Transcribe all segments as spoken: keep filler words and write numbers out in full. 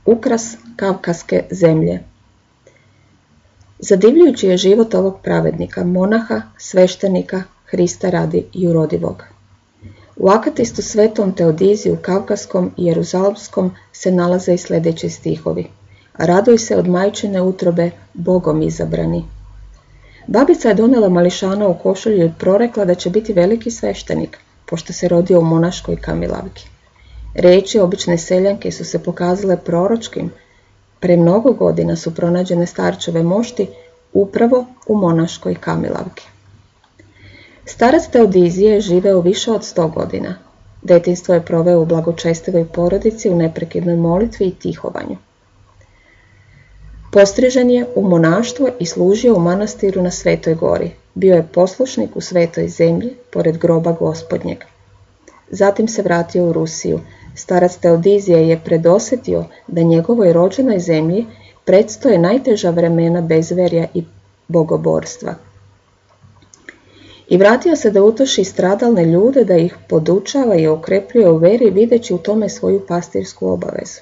Ukras kavkaske zemlje. Zadivljujući je život ovog pravednika, monaha, sveštenika, Hrista radi jurodivog. U akatistu Svetom Teodiziju Kavkaskom i Jeruzalemskom se nalaze i sljedeći stihovi. Raduj se od majčine utrobe, Bogom izabrani. Babica je donijela mališana u košulju i prorekla da će biti veliki sveštenik, pošto se rodio u monaškoj kamilavki. Riječi obične seljanke su se pokazale proročkim. Pre mnogo godina su pronađene starčeve mošti upravo u monaškoj kamilavki. Starac Teodizije je živeo više od sto godina. Detinjstvo je proveo u blagočestivoj porodici, u neprekidnoj molitvi i tihovanju. Postrižen je u monaštvo i služio u manastiru na Svetoj gori. Bio je poslušnik u Svetoj zemlji, pored groba Gospodnjeg. Zatim se vratio u Rusiju. Starac Teodizije je predosjetio da njegovoj rođenoj zemlji predstoje najteža vremena bezverja i bogoborstva. I vratio se da utoši stradalne ljude, da ih podučava i okrepljuje u veri, videći u tome svoju pastirsku obavezu.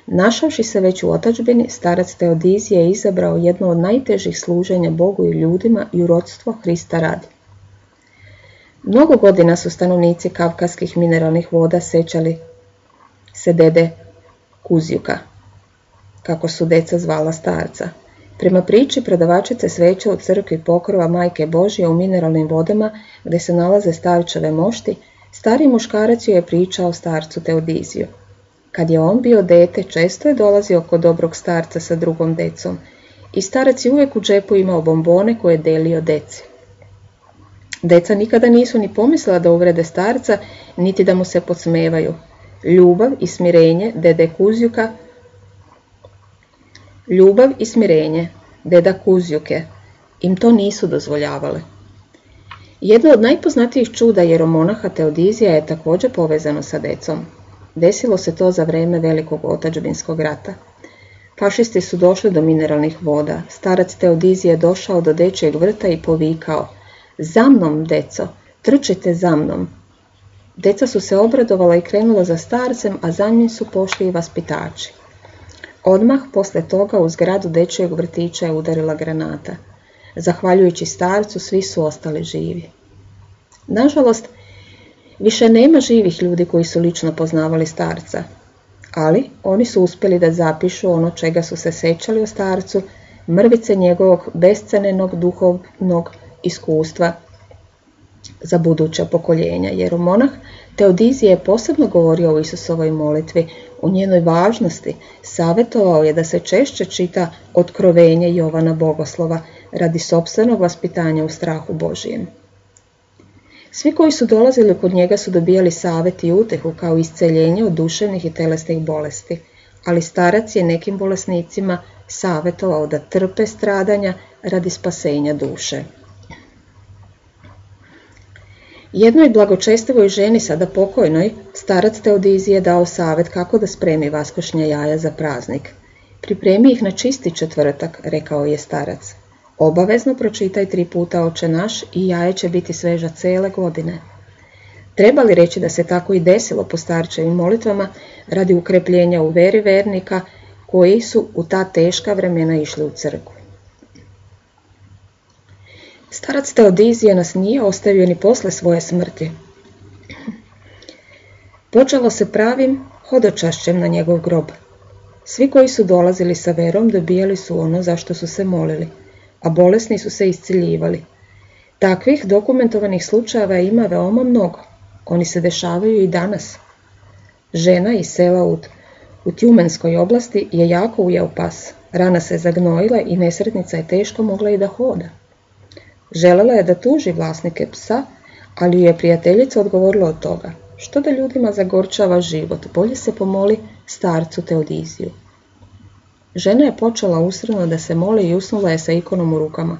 Našavši se već u otadžbini, starac Teodizije je izabrao jedno od najtežih služenja Bogu i ljudima, jurodstvo Hrista radi. Mnogo godina su stanovnici kavkaskih mineralnih voda sećali se dede Kuzjuka, kako su deca zvala starca. Prema priči prodavačice sveća u crkvi Pokrova Majke Božje u mineralnim vodama, gdje se nalaze starčeve mošti, stari muškarac joj je pričao starcu Teodiziju. Kad je on bio dete, često je dolazio kod dobrog starca sa drugom decom i starac je uvijek u džepu imao bombone koje je delio deci. Deca nikada nisu ni pomislila da uvrede starca, niti da mu se podsmevaju. Ljubav i smirenje dede Kuzjuka, ljubav i smirenje deda Kuzjuke im to nisu dozvoljavale. Jedno od najpoznatijih čuda jeromonaha Teodizija je također povezano sa decom. Desilo se to za vrijeme Velikog otadžbinskog rata. Fašisti su došli do mineralnih voda. Starac Teodizije je došao do dečjeg vrta i povikao: "Za mnom, deco, trčite za mnom." Deca su se obradovala i krenula za starcem, a za njim su pošli i vaspitači. Odmah posle toga u zgradu dečjeg vrtića je udarila granata. Zahvaljujući starcu, svi su ostali živi. Nažalost, više nema živih ljudi koji su lično poznavali starca, ali oni su uspjeli da zapišu ono čega su se sećali o starcu, mrvice njegovog bescenenog duhovnog iskustva za buduća pokoljenja. Jeromonah Teodizije je posebno govorio o Isusovoj molitvi, o njenoj važnosti, savjetovao je da se češće čita Otkrovenje Jovana Bogoslova radi sopstvenog vaspitanja u strahu Božijem. Svi koji su dolazili kod njega su dobijali savjet i utehu kao isceljenje od duševnih i telesnih bolesti, ali starac je nekim bolesnicima savjetovao da trpe stradanja radi spasenja duše. Jednoj blagočestivoj ženi, sada pokojnoj, starac Teodizije dao savjet kako da spremi vaskošnja jaja za praznik. Pripremi ih na čisti četvrtak, rekao je starac. Obavezno pročitaj tri puta Oče naš i jaje će biti sveža cele godine. Treba li reći da se tako i desilo po starčevim molitvama radi ukrepljenja u veri vernika koji su u ta teška vremena išli u crkvu. Starac Teodizije nas nije ostavio ni posle svoje smrti. Počelo se pravim hodočašćem na njegov grob. Svi koji su dolazili sa verom dobijali su ono za što su se molili, a bolesni su se isciljivali. Takvih dokumentovanih slučajeva ima veoma mnogo. Oni se dešavaju i danas. Žena iz sela u, u Tjumenskoj oblasti je jako ujeo pas. Rana se zagnojila i nesretnica je teško mogla i da hoda. Želela je da tuži vlasnike psa, ali ju je prijateljica odgovorila od toga. Što da ljudima zagorčava život, bolje se pomoli starcu Teodiziju. Žena je počela usrano da se moli i usnula je sa ikonom u rukama.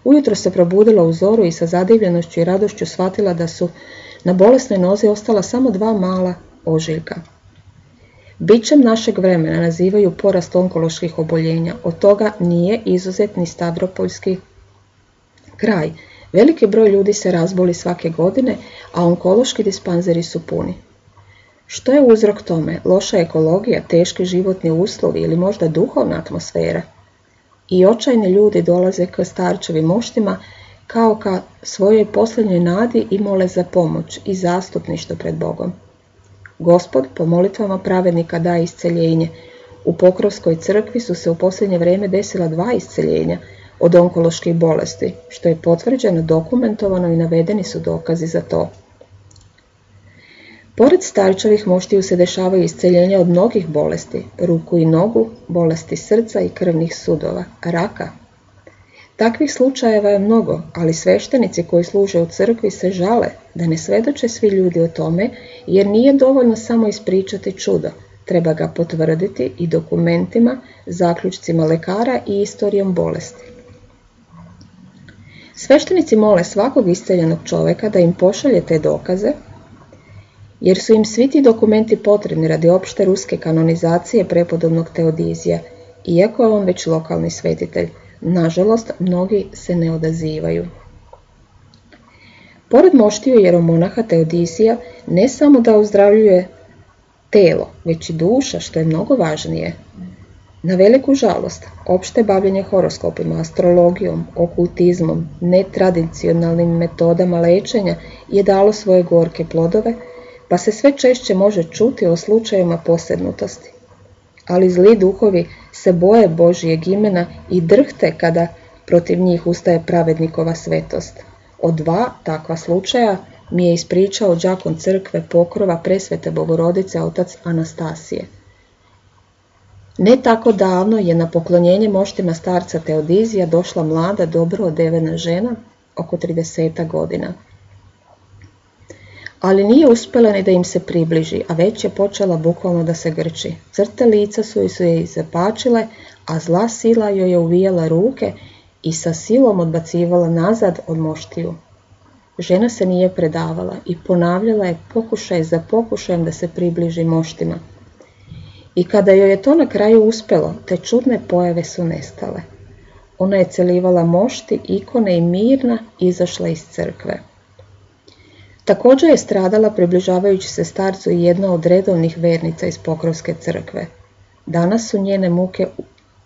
Ujutro se probudila u zoru i sa zadivljenošću i radošću shvatila da su na bolesnoj nozi ostala samo dva mala ožiljka. Bićem našeg vremena nazivaju porast onkoloških oboljenja. Od toga nije izuzet ni Stavropoljski kraj. Veliki broj ljudi se razboli svake godine, a onkološki dispanzeri su puni. Što je uzrok tome? Loša ekologija, teški životni uslovi ili možda duhovna atmosfera? I očajni ljudi dolaze k starčevim moštima kao ka svojoj posljednjoj nadi i mole za pomoć i zastupništvo pred Bogom. Gospod po molitvama pravednika daje isceljenje. U Pokrovskoj crkvi su se u posljednje vrijeme desila dva isceljenja od onkoloških bolesti, što je potvrđeno, dokumentovano i navedeni su dokazi za to. Pored starčevih moštiju se dešavaju isceljenja od mnogih bolesti, ruku i nogu, bolesti srca i krvnih sudova, raka. Takvih slučajeva je mnogo, ali sveštenici koji služe u crkvi se žale da ne svedoče svi ljudi o tome, jer nije dovoljno samo ispričati čudo, treba ga potvrditi i dokumentima, zaključcima lekara i istorijom bolesti. Sveštenici mole svakog isceljenog čovjeka da im pošalje te dokaze, jer su im svi ti dokumenti potrebni radi opšte ruske kanonizacije prepodobnog Teodizija, iako je on već lokalni svetitelj. Nažalost, mnogi se ne odazivaju. Pored moštiju jeromonaha Teodizija ne samo da ozdravljuje telo, već i duša, što je mnogo važnije. Na veliku žalost, opšte bavljenje horoskopima, astrologijom, okultizmom, netradicionalnim metodama lečenja je dalo svoje gorke plodove, pa se sve češće može čuti o slučajevima posebnutosti. Ali zli duhovi se boje Božijeg imena i drhte kada protiv njih ustaje pravednikova svetost. Od dva takva slučaja mi je ispričao đakon crkve Pokrova Presvete Bogorodice otac Anastasije. Ne tako davno je na poklonjenje moštima starca Teodizija došla mlada, dobro odevena žena, oko trideset godina. Ali nije uspjela ni da im se približi, a već je počela bukvalno da se grči. Crte lica su joj se zapačile, a zla sila joj je uvijala ruke i sa silom odbacivala nazad od moštiju. Žena se nije predavala i ponavljala je pokušaj za pokušajem da se približi moštima. I kada joj je to na kraju uspjelo, te čudne pojave su nestale. Ona je celivala mošti, ikone i mirna izašla iz crkve. Također je stradala približavajući se starcu i jedna od redovnih vernica iz Pokrovske crkve. Danas su njene muke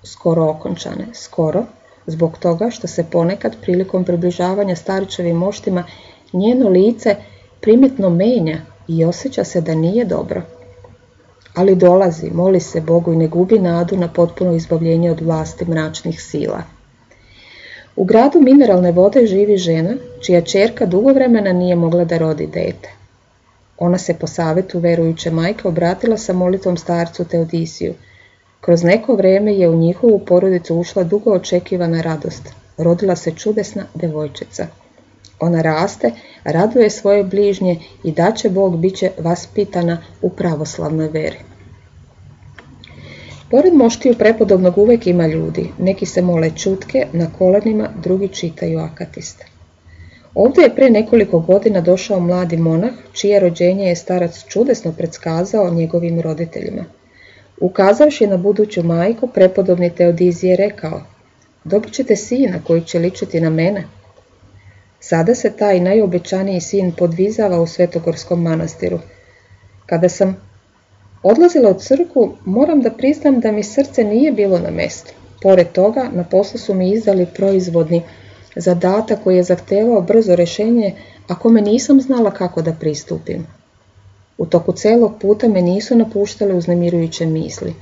skoro okončane, skoro, zbog toga što se ponekad prilikom približavanja starčevim moštima njeno lice primjetno menja i osjeća se da nije dobro. Ali dolazi, moli se Bogu i ne gubi nadu na potpuno izbavljenje od vlasti mračnih sila. U gradu mineralne vode živi žena, čija ćerka dugo vremena nije mogla da rodi dete. Ona se po savjetu verujuće majke obratila sa molitvom starcu Teodisiju. Kroz neko vrijeme je u njihovu porodicu ušla dugo očekivana radost. Rodila se čudesna devojčica. Ona raste, raduje svoje bližnje i daće Bog bit će vaspitana u pravoslavnoj veri. Pored moštiju prepodobnog uvijek ima ljudi, neki se mole čutke, na kolenima, drugi čitaju akatist. Ovdje je pre nekoliko godina došao mladi monah, čije rođenje je starac čudesno predskazao njegovim roditeljima. Ukazavši na buduću majku, prepodobni Teodizije je rekao: dobit ćete sina koji će ličiti na mene. Sada se taj najobećaniji sin podvizava u Svetogorskom manastiru. Kada sam odlazila u crkvu, moram da priznam da mi srce nije bilo na mestu. Pored toga, na poslu su mi izdali proizvodni zadatak koji je zahtevao brzo rješenje, a kome nisam znala kako da pristupim. U toku celog puta me nisu napuštale uznemirujuće misli.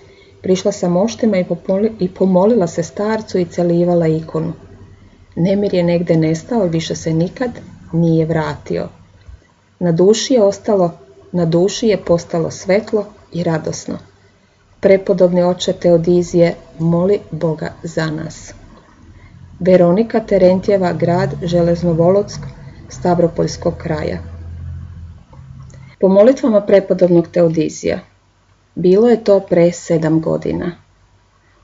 Prišla sam oštima i, popoli, i pomolila se starcu i celivala ikonu. Nemir je negde nestao i više se nikad nije vratio. Na duši je ostalo, na duši je postalo svetlo i radosno. Prepodobni oče Teodizije, moli Boga za nas. Veronika Terentjeva, grad Železnovolodsk, Stavropoljskog kraja. Po molitvama prepodobnog Teodizija. Bilo je to pre sedam godina.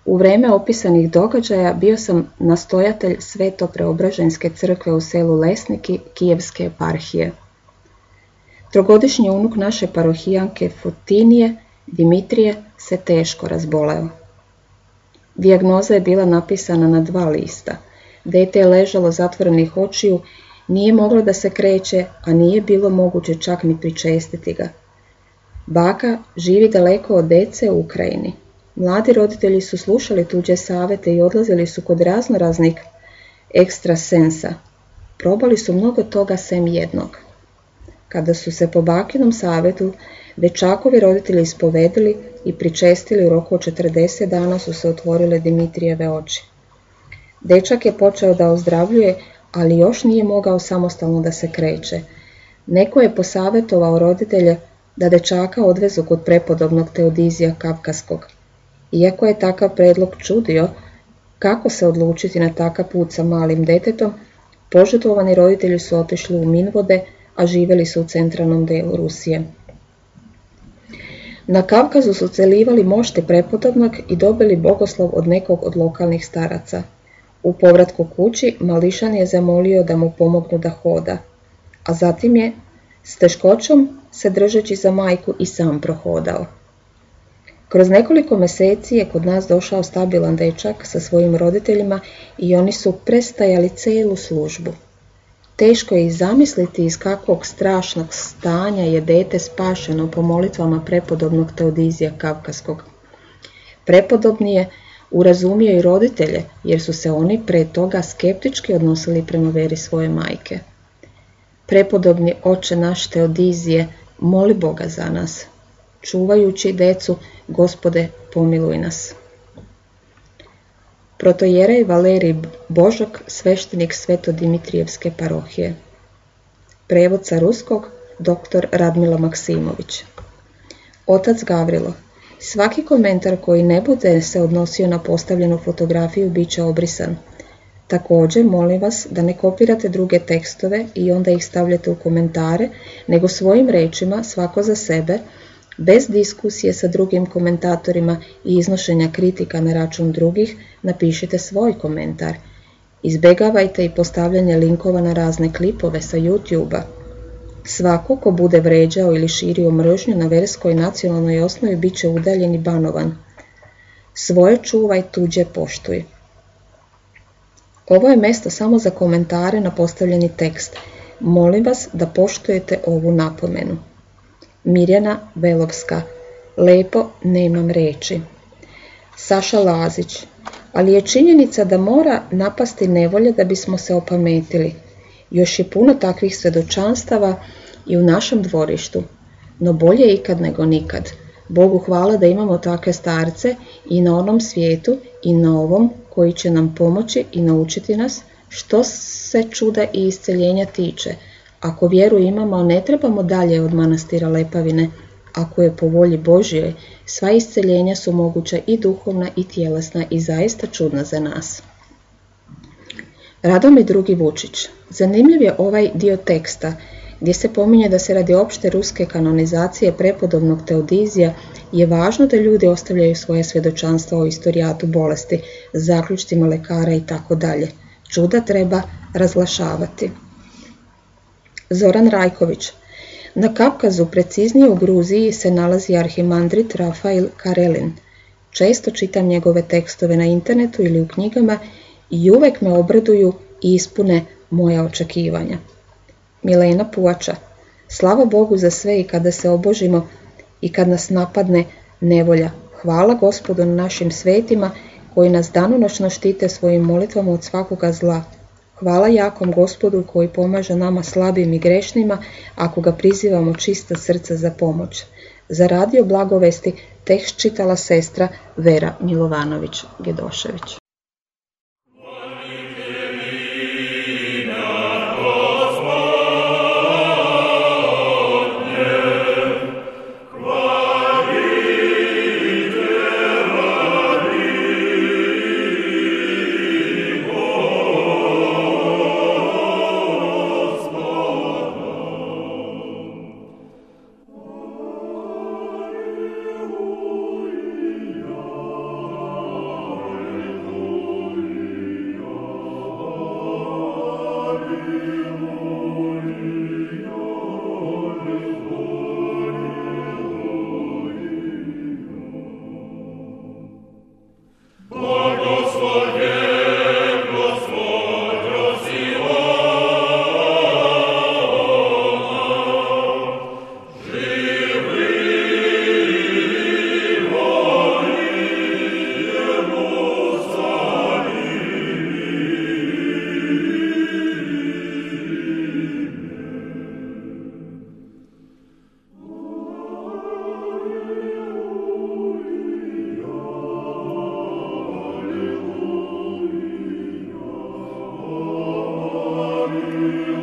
U vreme opisanih događaja bio sam nastojatelj Sveto-Preobraženske crkve u selu Lesniki Kijevske eparhije. Trogodišnji unuk naše parohijanke Fotinije, Dimitrije, se teško razboleo. Dijagnoza je bila napisana na dva lista. Dete je ležalo zatvorenih očiju, nije moglo da se kreće, a nije bilo moguće čak ni pričestiti ga. Baka živi daleko od dece u Ukrajini. Mladi roditelji su slušali tuđe savete i odlazili su kod razno raznih ekstrasensa. Probali su mnogo toga sem jednog. Kada su se po bakinom savetu dečakovi roditelji ispovedili i pričestili, u roku od četrdeset dana su se otvorile Dimitrijeve oči. Dečak je počeo da ozdravljuje, ali još nije mogao samostalno da se kreće. Neko je posavetovao roditelje da dečaka odvezu kod prepodobnog Teodizija Kavkaskog. Iako je takav predlog čudio kako se odlučiti na takav put sa malim detetom, požrtvovani roditelji su otišli u Minvode, a živjeli su u centralnom delu Rusije. Na Kavkazu su celivali mošte prepodobnog i dobili bogoslov od nekog od lokalnih staraca. U povratku kući mališan je zamolio da mu pomognu da hoda, a zatim je, s teškoćom se držeći za majku, i sam prohodao. Kroz nekoliko meseci je kod nas došao stabilan dečak sa svojim roditeljima i oni su prestajali celu službu. Teško je i zamisliti iz kakvog strašnog stanja je dete spašeno po molitvama prepodobnog Teodizija Kavkaskog. Prepodobni je urazumio i roditelje, jer su se oni pre toga skeptički odnosili prema veri svoje majke. Prepodobni oče naš Teodizije, moli Boga za nas. Čuvajući decu, Gospode, pomiluj nas. Protojerej Valerij Božok, sveštenik Sveto-Dimitrijevske parohije. Prevod sa ruskog, doktor Radmila Maksimović. Otac Gavrilo, svaki komentar koji ne bude se odnosio na postavljenu fotografiju bit će obrisan. Također, molim vas da ne kopirate druge tekstove i onda ih stavljate u komentare, nego svojim rečima, svako za sebe, bez diskusije sa drugim komentatorima i iznošenja kritika na račun drugih, napišite svoj komentar. Izbegavajte i postavljanje linkova na razne klipove sa YouTube-a. Svako ko bude vređao ili širio mržnju na verskoj i nacionalnoj osnovi bit će udaljen i banovan. Svoje čuvaj, tuđe poštuj. Ovo je mesto samo za komentare na postavljeni tekst. Molim vas da poštujete ovu napomenu. Mirjana Velovska. Lepo, nemam reči. Saša Lazić. Ali je činjenica da mora napasti nevolja da bismo se opametili. Još je puno takvih svedočanstava i u našem dvorištu. No bolje ikad nego nikad. Bogu hvala da imamo takve starce i na onom svijetu i na ovom, koji će nam pomoći i naučiti nas što se čuda i isceljenja tiče. Ako vjeru imamo, ne trebamo dalje od manastira Lepavine. Ako je po volji Božjoj, sva isceljenja su moguća i duhovna i tjelesna i zaista čudna za nas. Radomir drugi Vučić. Zanimljiv je ovaj dio teksta, gdje se pominje da se radi opšte ruske kanonizacije prepodobnog Teodizija je važno da ljudi ostavljaju svoje svjedočanstva o istorijatu bolesti, zaključcima lekara i tako dalje. Čuda treba razglašavati. Zoran Rajković. Na Kavkazu, preciznije u Gruziji, se nalazi arhimandrit Rafail Karelin. Često čitam njegove tekstove na internetu ili u knjigama i uvek me obraduju i ispune moja očekivanja. Milena Puača. Slava Bogu za sve i kada se obožimo i kad nas napadne nevolja. Hvala Gospodu na našim svetima koji nas danonoćno štite svojim molitvama od svakoga zla. Hvala jakom Gospodu koji pomaže nama slabim i grešnima ako ga prizivamo čista srca za pomoć. Za radio Blagovesti tekst čitala sestra Vera Milovanović-Gedošević. Amen.